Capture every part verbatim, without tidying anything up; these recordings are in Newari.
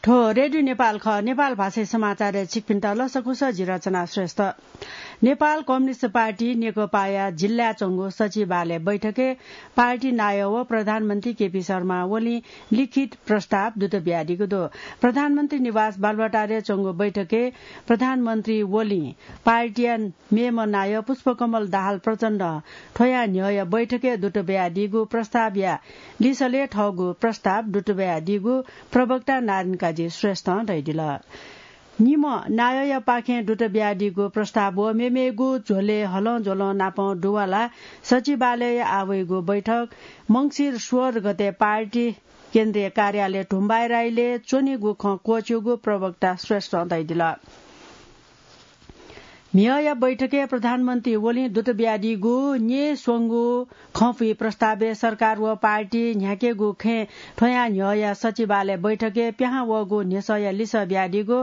थ्व रेडियो नेपाल खः। नेपाल भाषाय् समाचारय् छिकपिन्त लसकुस, जि रचना श्रेष्ठ। नेपाल कम्युनिस्ट पार्टी नेकपाया जिल्लाय् च्वंगु सचिवालय बैठकय् पार्टी नायः व प्रधानमन्त्री केपी शर्मा ओलीं लिखित प्रस्ताव दुत बियादीगु दु। प्रधानमन्त्री निवास बालुवाटारय् च्वंगु बैठकय् प्रधानमन्त्री ओलीं पार्टीया मेम्ह नायः पुष्पकमल दाहाल प्रचण्डं थ्वया न्ह्यःया बैठकय् दुत बियादीगु प्रस्तावया लिसलय् थःगु प्रस्ताव दुत बियादीगु प्रवक्ता नारायण काजी श्रेष्ठं धयादिल। निम्ह नायःयापाखें दुत बियादीगु प्रस्ताव व मेमेगु झ्वलय् हलंज्वलं नापं दुवालाः सचिवालयय् आः वइगु बैठक मंसिर सोह्र गते पार्टी केन्द्रीय कार्यालय धुम्बाइराईलय् च्वनीगु खँ क्वःछिउगु प्रवक्ता श्रेष्ठं धयादिल। म्हिगःया बैठकय् प्रधानमन्त्री ओलीं दुत बियादीगु न्येस्वंगु खँपुइ प्रस्तावय् सरकार व पार्टी न्ह्याकेगु खँय् थ्वया न्ह्यःया सचिवालय बैठकय् पिहां वःगु न्ह्यसःया लिसः बियादीगु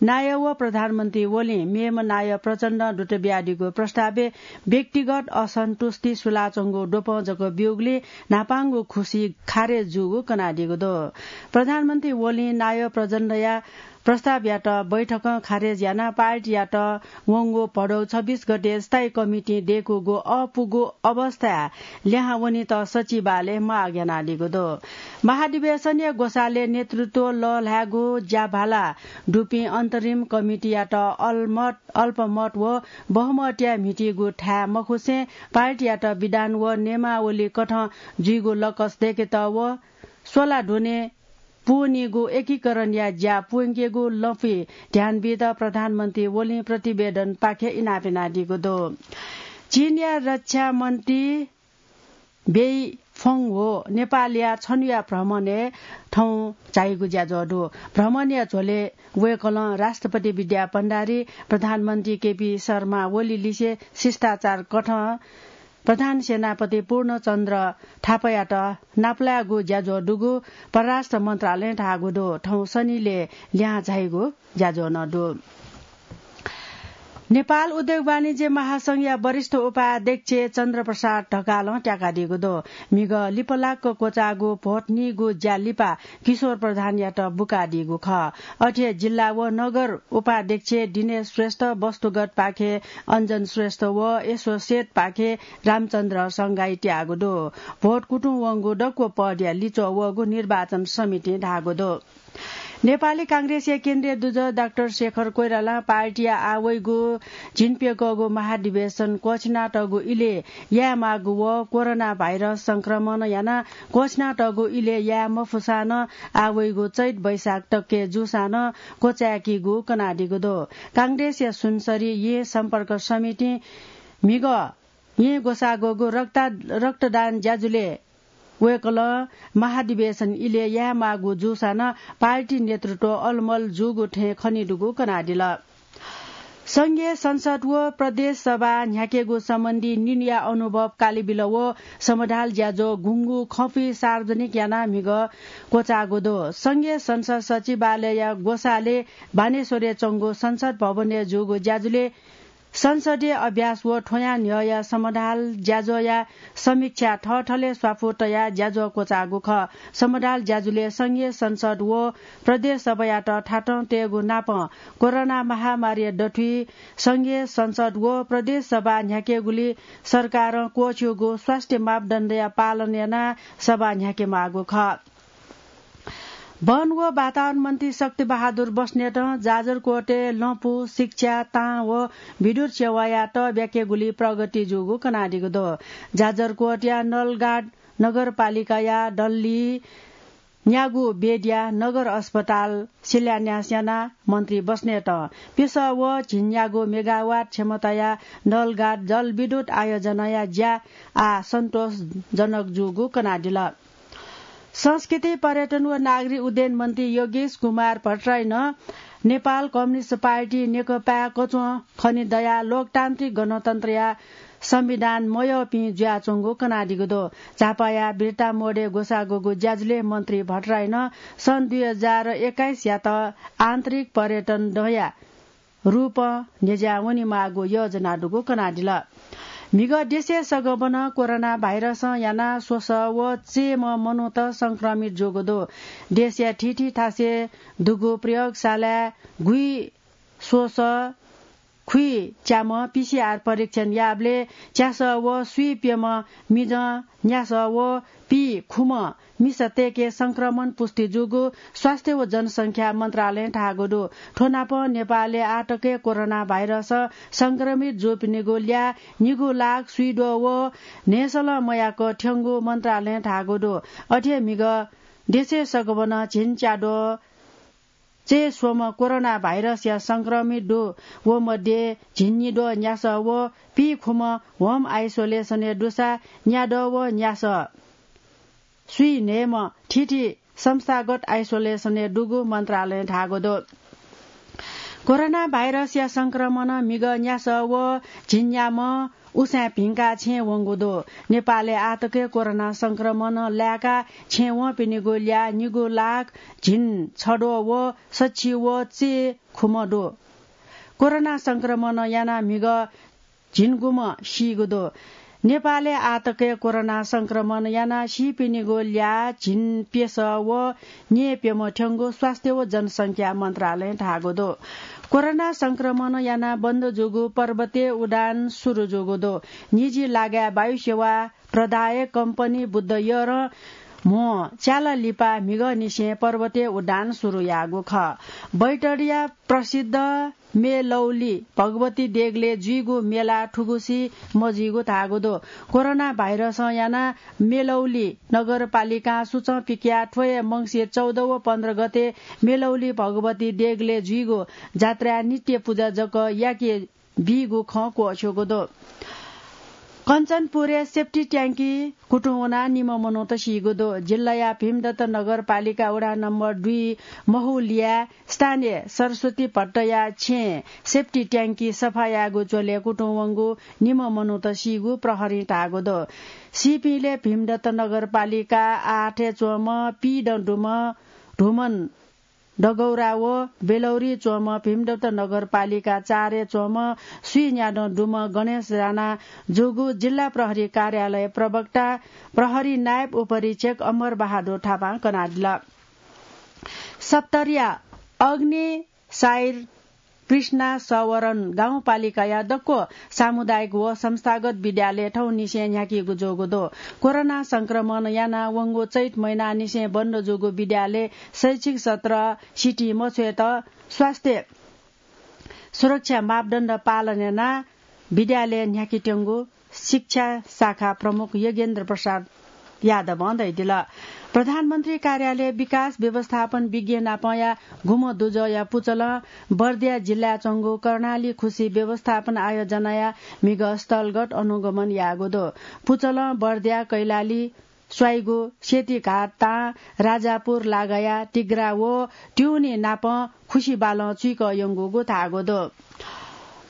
नायः व प्रधानमन्त्री ओलीं मेम्ह नायः प्रचण्डं दुत बियादीगु प्रस्तावय् व्यक्तिगत असन्तुष्टि सुलाच्वंगु द्वपं जक ब्यूगुलिं न्हापांगु खुसी खारेज जूगु कनादीगु दु। प्रधानमन्त्री ओलीं नायः प्रचण्डया प्रस्तावयात बैठकं खारेज यानाः पार्टीयात वंगु भदौ छब्बीस गते स्थायी कमिटिं दय्कूगु अःपुगु अवस्थाय् लिहां वनेत सचिवालयं माग यानादीगु दु। महाधिवेशनया ग्वसालय् नेतृत्व लःल्हायेगु ज्याभाला दुपिं अन्तरिम कमिटियात अल्मत, अल्पमत व बहुमतया म्हितीगु थाय् मखुसें पार्टीयात विधान व नियमावली कथं जुइगु लकस दय्केत व स्वला दुने पूवनीगु एकीकरणया ज्या पूवंकेगु लँपुइ ध्यान बीत प्रधानमन्त्री ओलीं प्रतिवेदनपाखें इनाप यानादीगु दु। चीनया रक्षा मन्त्री बेइ फङ हो नेपालया छन्हुया भ्रमणय् थौं झाइगु ज्याझ्वः दु। भ्रमणया झ्वलय् वय्कलं राष्ट्रपति विद्या भण्डारी, प्रधानमन्त्री केपी शर्मा ओली लिसे शिष्टाचार कथं प्रधान सेनापति पूर्णचन्द्र थापायात नापलायेगु ज्याझ्वः दुगु परराष्ट्र मन्त्रालयं धाःगु दु। थौं सनिलय् लिहां झाइगु ज्याझ्वः नं दु। नेपाल उद्योग वाणिज्य महासंघया वरिष्ठ उपाध्यक्ष चन्द्रप्रसाद ढकालं त्याकादीगु दु। म्हिगः लिपलाक्क क्वचाःगु भोट नीगु ज्या लिपा किशोर प्रधानयात बुकादीगु खः। अथे हे जिल्ला व नगर उपाध्यक्ष दिनेश श्रेष्ठ, वस्तुगत पाखे अञ्जन श्रेष्ठ व एसोसिएट पाखे रामचन्द्र संगाई त्याःगु दु। भोट कुतुं वंगु दक्व पदया लिच्वः वःगु निर्वाचन समितिं धाःगु दु। नेपाली कांग्रेसया केन्द्रीय दुजः डाक्टर शेखर कोइरालां पार्टीया आः वइगु झिंप्यकःगु महाधिवेशन क्वःछिनातःगु इलय् यायेमाःगु व कोरोना भाइरस संक्रमण यानाः क्वःछिनातःगु इलय् याये मफुसां नं आः वइगु चैत वैशाख तकय् जूसां नं क्वचाय्कीगु कनादीगु दु। कांग्रेसया सुनसरी येँ सम्पर्क समितिं म्हिगः येँ ग्वसाः ग्वःगु रक्ता-, रक्तदान ज्याझ्वलय् वय्कलं महाधिवेशन इलय् यायेमाःगु जूसां नं पार्टी नेतृत्व अलमल जूगु थें खनेदुगु कनादिल। संघीय संसद व प्रदेश सभा न्ह्याकेगु सम्बन्धी निन्हुया अनुभव कालेबिल व समाधाल ज्याझ्वः गुंगू खँपुइ सार्वजनिक यानाः म्हिगः क्वचाःगु दु। संघीय संसद सचिवालयया ग्वसालय् बानेश्वरय् च्वंगु संसद भवनय् जूगु ज्याझ्वलय् संसदीय अभ्यास व थ्वयां न्ह्यःया समाधाल ज्याझ्वःया समीक्षा थःथलय् स्वापू तयाः ज्याझ्वः क्वचाःगु खः। समाधाल ज्याझ्वलय् संघीय संसद व प्रदेश सभायात थातं तयेगु नापं कोरोना महामारीया दथुइ संघीय संसद व प्रदेश सभा न्ह्याकेगुली सरकारं क्वःछिउगु स्वास्थ्य मापदण्डया पालन यानाः सभा न्ह्याकेमाःगु खः। वन व वातावरण मन्त्री शक्ति बहादुर बस्नेतं जाजरकोटय् लँपु, शिक्षा, तां व विद्युत सेवायात ब्याकेगुली प्रगति जूगु कनादीगु दु। जाजरकोटया नलघाट नगरपालिकाया डल्ली न्यागू बेडया नगर अस्पताल शिलान्यास यानाः मन्त्री बस्नेतं पिसः व झिंन्यागू मेगावाट क्षमताया नलघाट जलविद्युत आयोजनाया ज्या आः सन्तोषजनक जूगु कनादिल। संस्कृति, पर्यटन व नागरिक उड्डयन मन्त्री योगेश कुमार भट्टराईनं नेपाल कम्युनिस्ट पार्टी नेकपाय् कचुं खने दयाः लोकतान्त्रिक गणतन्त्रया संविधान मयःपिं जुयाच्वंगु कनादीगु दु। झापाया बिर्ता मोडय् ग्वसाःगु ज्याझ्वलय् मन्त्री भट्टराईनं सन् दुई हजार एक्काइसयात आन्तरिक पर्यटन दँया रूपं न्ह्यज्याः वनेमाःगु योजना दुगु कनादिल। म्हिगः देशय् सगबनं कोरोना भाइरसं यानाः स्वसः व चय्म्ह मनूत संक्रमित जूगु दु। देशया थीथी थासय् दुगु प्रयोगशालाय् गुइस्वसः खुइच्याम्ह पीसीआर परीक्षण याःबलय् च्यासः व स्वीप्यम्ह मिजं न्यासः व पीखुम्ह मिसातय्के संक्रमण पुष्टि जूगु स्वास्थ्य व जनसंख्या मन्त्रालयं धाःगु दु। थ्व नापं नेपालय् आःतक कोरोना भाइरस संक्रमित जूपिनिगु ल्याः निगू लाख स्वीद्वः व न्हय्सलं मयाक थ्यंगु मन्त्रालयं धाःगु दु। अथे म्हिगः देशय् सगबनं झिंच्याद्वः चय्स्वम्ह कोरोना भाइरसया संक्रमित दु। व मध्ये झिंनिद्वः न्यासः व पीखुम्ह होम आइसोलेसनय् दुसा न्याद्वः व न्यासः स्वीन्हय्म्ह थीथी संस्थागत आइसोलेसनय् दुगु मन्त्रालयं धाःगु दु। कोरोना भाइरसया संक्रमणं म्हिगः न्यासः व झिंन्याम्ह उसाँय् भिंकाः छेँय् वंगु दु। नेपालय् आःतक कोरोना संक्रमणं लाय्काः छेँय् वंपिनिगु ल्याः निगू लाख झिंछद्वः व सछि व चय्खुम्ह दु। कोरोना संक्रमणं यानाः म्हिगः झिंगुम्ह सीगु दु। नेपालय् आःतक कोरोना संक्रमण यानाः सीपिनिगु ल्याः झिंप्यसः व न्यय्प्यम्ह थ्यंगु स्वास्थ्य व जनसंख्या मन्त्रालयं धाःगु दु। कोरोना संक्रमण यानाः बन्द जूगु पर्वतीय उडान सुरु जूगु दु। निजी लागाय् वायुसेवा प्रदायक कम्पनी बुद्ध एयरं म्हो च्याला लिपा म्हिगःनिसें पर्वतीय उडान सुरु याःगु खः। बैतडीया प्रसिद्ध मेलौली भगवती देगलय् जुइगु मेला थुगुसी मजुइगु धाःगु दु। कोरोना भाइरसं यानाः मेलौली नगरपालिकां सुचं पिकयाः थ्व हे मंसिर चौध व पन्ध्र गते मेलौली भगवती देगलय् जुइगु जात्राय् नित्य पुजा जक याके बीगु खँ क्वःछ्यूगु दु। कञ्चनपुरय् सेप्टी ट्याङ्की कुतुं वनाः निम्ह मनूत सीगु दु। जिल्लाया भीमदत्त नगरपालिका वडा नम्बर दुई महुलिया स्थानीय सरस्वती भट्टया छेँय् सेप्टी ट्याङ्की सफा यायेगु झ्वलय् कुतुं वंगु निम्ह मनूत सीगु प्रहरीं धाःगु दु। सीपिंलय् भीमदत्त नगरपालिका आठय् च्वंम्ह पीदँ दुम्ह धुमन डगौरा व बेलौरी च्वंम्ह भीमदत्त नगरपालिका चारय् च्वंम्ह स्वीन्यादँ दुम्ह गणेश राणा जूगु जिल्ला प्रहरी कार्यालय प्रवक्ता प्रहरी नायब उपरीक्षक अमर बहादुर थापां कनादिल। सप्तरीया अग्नि साइर कृष्णा सवरण गाउँपालिकाया दक्व सामुदायिक व संस्थागत विद्यालय थौंनिसें न्ह्याकीगु जूगु दु। कोरोना संक्रमण यानाः वंगु चैत महिनानिसें बन्द जूगु विद्यालय शैक्षिक सत्र सितिं मछ्वयेत स्वास्थ्य सुरक्षा मापदण्ड पालन यानाः विद्यालय न्ह्याकेत्यंगु शिक्षा शाखा प्रमुख योगेन्द्र प्रसाद यादवं धयादिल। प्रधानमन्त्री कार्यालय विकास व्यवस्थापन विज्ञ नापंया गुम्ह दुजःया पुचलं बर्दिया जिल्लाय् च्वंगु कर्णाली खुसी व्यवस्थापन आयोजनाया म्हिगः स्थलगत अनुगमन याःगु दु। पुचलं बर्दिया कैलाली स्वाइगु सेतीघाट तां राजापुर लागाया तिग्रा व ट्युनी नापं खुसी बालं चुइकः यंगुगु धाःगु दु।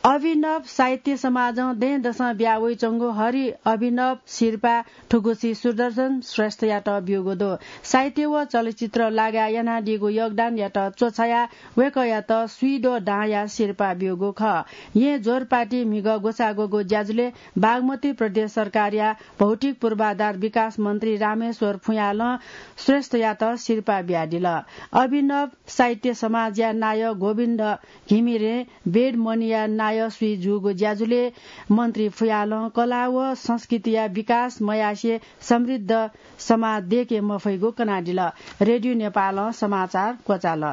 अभिनव साहित्य समाजं दँय्‌दसं बिया वइच्वंगु हरि अभिनव सिरपाः थुगुसी सुदर्शन श्रेष्ठयात ब्यूगु दु। साहित्य व चलचित्र लागाय् यानादीगु योगदानयात च्वछायाः वय्‌कःयात स्वीद्वः दांया सिरपाः ब्यूगु खः। येँ जोरपाटी म्हिगः ग्वसाः ग्वःगु ज्याझ्वलय् बागमती प्रदेश सरकारया भौतिक पूर्वाधार विकास मन्त्री रामेश्वर फुयालं श्रेष्ठयात सिरपाः बियादिल। अभिनव साहित्य समाजया नायः गोविन्द घिमिरें बेडमनिया नायः स्वीजूगु ज्याझ्वलय् मन्त्री फुयालं कला व संस्कृतिया विकास मयासें समृद्ध समाज दय्‌के मफइगु कनादिल। रेडियो नेपालं समाचार क्वचाल।